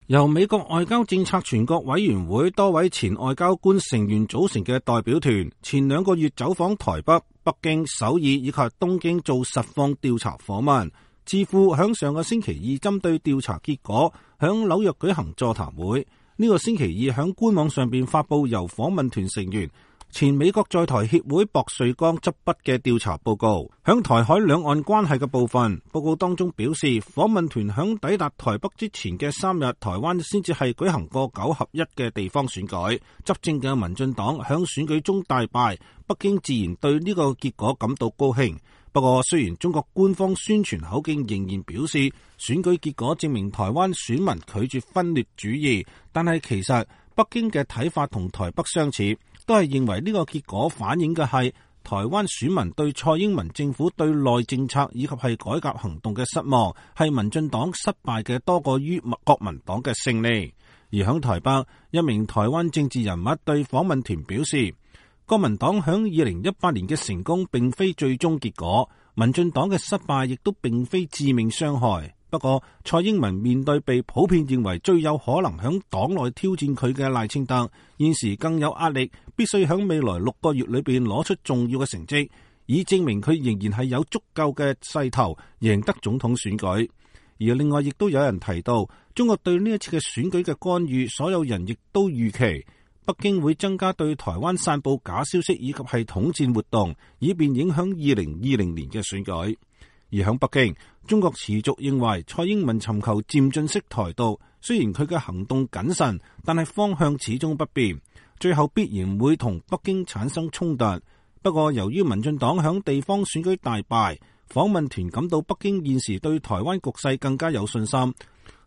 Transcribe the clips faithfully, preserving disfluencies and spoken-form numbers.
由美國外交政策全國委員會多位前外交官成員組成嘅代表團，前兩個月走訪台北、北京、首爾以及東京做實況調查訪問。智庫響上個星期二針對調查結果，響紐約舉行座談會。呢、這個星期二響官網上邊發佈由訪問團成員前美國在台協會薄瑞剛執筆嘅調查報告，響台海兩岸關係嘅部分，報告當中表示，訪問團響抵達台北之前嘅三日，台灣先至係舉行過九合一嘅地方選舉，執政嘅民進黨響選舉中大敗，北京自然對呢個結果感到高興。不過，雖然中國官方宣傳口徑仍然表示選舉結果證明台灣選民拒絕分裂主義，但係其實北京嘅睇法同台北相似，都係認為呢個結果反映嘅係台灣選民對蔡英文政府對內政策以及係改革行動嘅失望，係民進黨失敗嘅多過於國民黨嘅勝利。而響台北，一名台灣政治人物對訪問團表示，國民黨響二零一八年嘅成功並非最終結果，民進黨嘅失敗亦都並非致命傷害。不過，蔡英文面對被普遍認為最有可能響黨內挑戰佢嘅賴清德，現時更有壓力，必須響未來六個月裏邊攞出重要嘅成績，以證明佢仍然係有足夠嘅勢頭贏得總統選舉。而另外亦都有人提到，中國對呢一次嘅選舉嘅干預，所有人亦都預期北京會增加對台灣散佈假消息以及係統戰活動，以便影響二零二零年嘅選舉。而響北京，中國持續認為蔡英文尋求漸進式台獨，雖然佢嘅行動謹慎，但係方向始終不變，最後必然會同北京產生衝突。不過由於民進黨響地方選舉大敗，訪問團感到北京現時對台灣局勢更加有信心，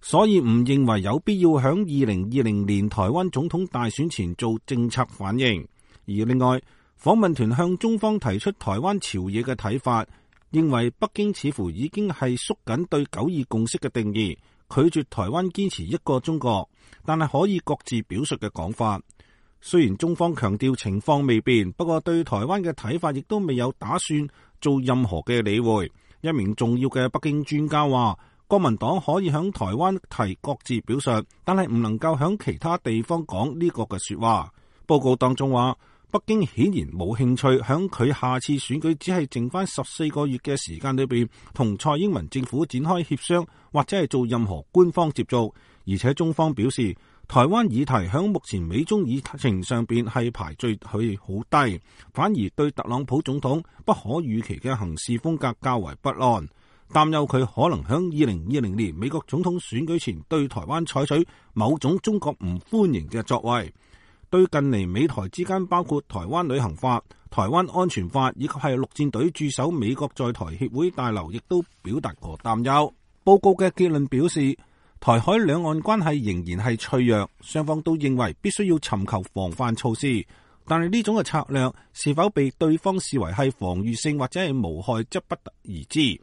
所以唔認為有必要響二零二零年台灣總統大選前做政策反應。而另外，訪問團向中方提出台灣朝野嘅睇法，認為北京似乎已經係縮緊對九二共識嘅定義，拒絕台灣堅持一個中國，但係可以各自表述嘅講法。雖然中方強調情況未變，不過對台灣嘅睇法亦都未有打算做任何嘅理會。一名重要嘅北京專家話，國民黨可以響台灣提各自表述，但係唔能夠響其他地方講呢個嘅說話。報告當中話，北京顯然冇興趣響佢下次選舉只係剩翻十四個月嘅時間裏邊，同蔡英文政府展開協商或者係做任何官方接觸。而且中方表示，台灣議題響目前美中議程上邊係排序去好低，反而對特朗普總統不可預期嘅行事風格較為不安，擔憂佢可能響二零二零年美國總統選舉前對台灣採取某種中國唔歡迎嘅作為。對近嚟美台之間包括台灣旅行法、台灣安全法以及係陸戰隊駐守美國在台協會大樓，亦都表達過擔憂。報告嘅結論表示，台海兩岸關係仍然係脆弱，雙方都認為必須要尋求防範措施，但係呢種嘅策略是否被對方視為係防禦性或者係無害，則不得而知。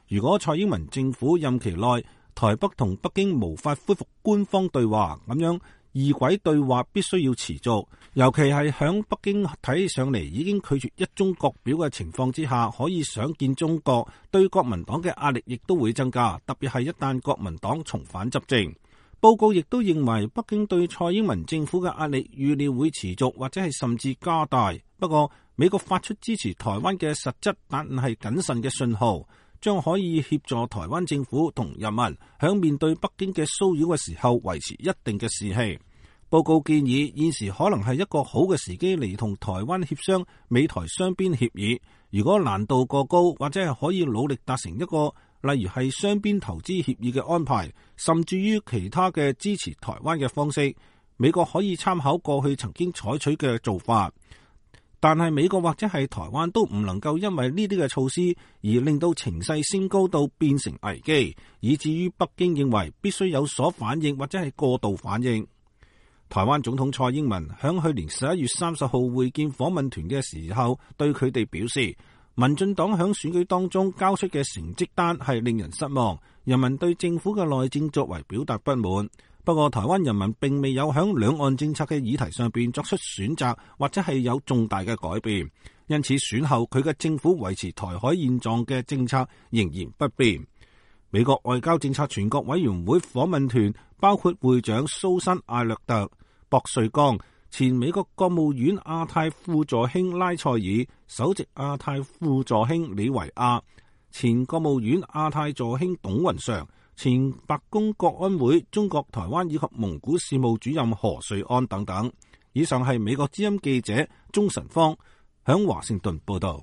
如果蔡英文政府任期內台北同北京無法恢復官方對話，咁樣異軌對話必須要持續，尤其係響北京睇上嚟已經拒絕一中各表嘅情況之下，可以想見中國對國民黨嘅壓力亦都會增加，特別係一旦國民黨重返執政。報告亦都認為北京對蔡英文政府嘅壓力預料會持續或者係甚至加大。不過美國發出支持台灣嘅實質但係謹慎嘅信號，將可以協助台灣政府同人民響面對北京嘅騷擾嘅時候維持一定嘅士氣。報告建議現時可能係一個好嘅時機嚟同台灣協商美台雙邊協議，如果難度過高，或者係可以努力達成一個例如係雙邊投資協議嘅安排，甚至於其他嘅支持台灣嘅方式，美國可以參考過去曾經採取嘅做法。但係美國或者係台灣都唔能夠因為呢啲嘅措施而令到情勢升高到變成危機，以至於北京認為必須有所反應或者係過度反應。台灣總統蔡英文響去年十一月三十號會見訪問團嘅時候，對佢哋表示，民進黨響選舉當中交出嘅成績單係令人失望，人民對政府嘅內政作為表達不滿。不過台灣人民並未有響兩岸政策嘅議題上邊作出選擇，或者係有重大嘅改變，因此選後佢嘅政府維持台海現狀嘅政策仍然不變。美國外交政策全國委員會訪問團包括會長蘇珊·艾略特、博瑞剛、前美國國務院亞太副助卿拉塞爾、首席亞太副助卿李維亞、前國務院亞太助卿董雲常、前白宮國安會中國台灣以及蒙古事務主任何瑞安等等。以上係美國之音記者鍾晨芳響華盛頓報道。